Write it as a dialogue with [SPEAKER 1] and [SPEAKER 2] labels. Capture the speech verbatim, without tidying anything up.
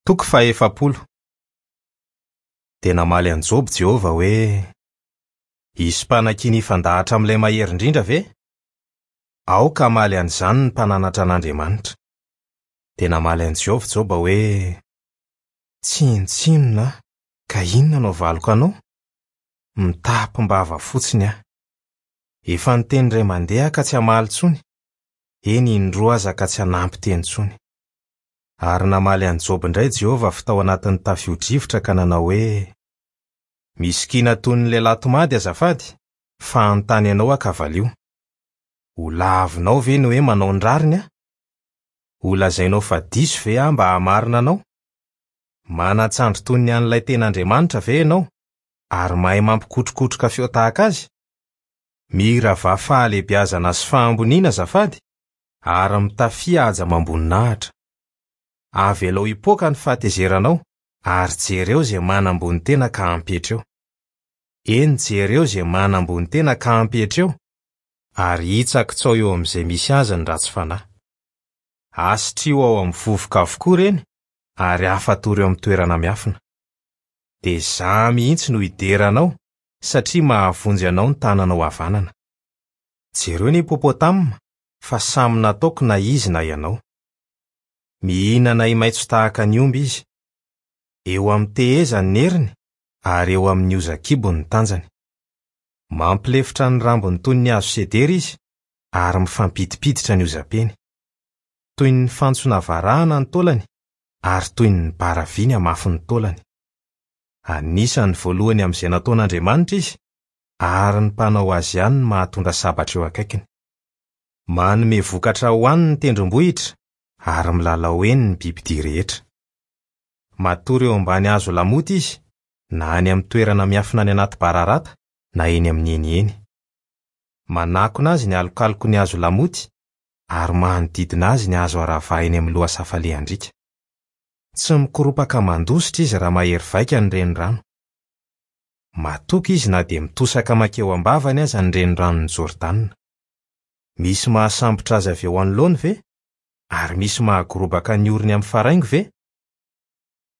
[SPEAKER 1] Toko fahaefapolo. Dia namaly an'i Joba Jehovah hoe: "Hisy mpanakiana hifandahatra amin'ilay mahery indrindra ve? Aoka hamaly an'izany ny mpananatra an'Andriamanitra." Dia namaly an'i Jehovah Joba hoe: "Tsinontsinona aho, ka inona no havaliko anao? Mitapim-bava fotsiny aho. Efa niteny indray mandeha aho ka tsy hamaly intsony, eny indroa aza ka tsy hanampy teny intsony." Ary namaly an'i Joba indray Jehovah avy tao anatin'ny tafio-drivotra ka nanao hoe: "Misikina toy ny lehilahy tomady azafady, fa hanontany anao aho ka valio. Ho lavinao ve ny hoe manao ny rariny aho? Ho lazainao fa diso ve aho mba hahamarina anao? Manan-tsandry toy ny an'ilay tena Andriamanitra ve ianao, ary mahay mampikotrokotroka feo tahaka azy? Miravà fahalehibiazana sy fahamboniana azafady, ary mitafia haja amam-boninahitra. Avelao hipoaka ny fahatezeranao, ary jereo izay manambony tena ka ampiatreo. Eny, jereo izay manambony tena ka ampiatreo, ary hitsakitsao eo amin'izay misy azy ny ratsy fanahy. Asitrio ao amin'ny vovoka avokoa ireny, ary afatory eo amin'ny toerana miafina. Dia izaho mihitsy no hidera anao, satria mahavonjy anao ny tananao havanana. Jereo ny hipopotama, fa samy nataoko na izy na ianao. Mihinana ahi-maitso tahaka ny omby izy. Eo amin'ny tehezany ny heriny, ary eo amin'ny hozakibony ny tanjany. Mampilefitra ny rambony toy ny hazo sedera izy, ary mifampidipiditra ny hozapeny. Toy ny fantsona varahana ny taolany, ary toy ny bara vy ny hamafin'ny taolany. Anisan'ny voalohany amin'izay nataon'Andriamanitra izy, ary ny mpanao azy ihany no mahatondra sabatra eo akaikiny. Manome vokatra ho any ny tendrombohitra, ary milalao eny ny bibidia rehetra. Matory eo ambany hazo lamoty izy, na any amin'ny toerana miafina any anaty bararata, na eny amin'ny heniheny. Manakona azy ny alokaloky ny hazo lamoty, ary manodidina azy ny hazo aravaha eny amin'ny lohasaha falehan-driaka. Tsy mikoropaka mandositra izy raha mahery vaika ny renirano. Matoky izy na dia mitosaka mankeo am-bavany aza ny reniranon'i Jordana. Misy mahasambotra azy avy eo anoloany ve? Ary misy mahagorobaka ny orony amin'ny faraingo ve?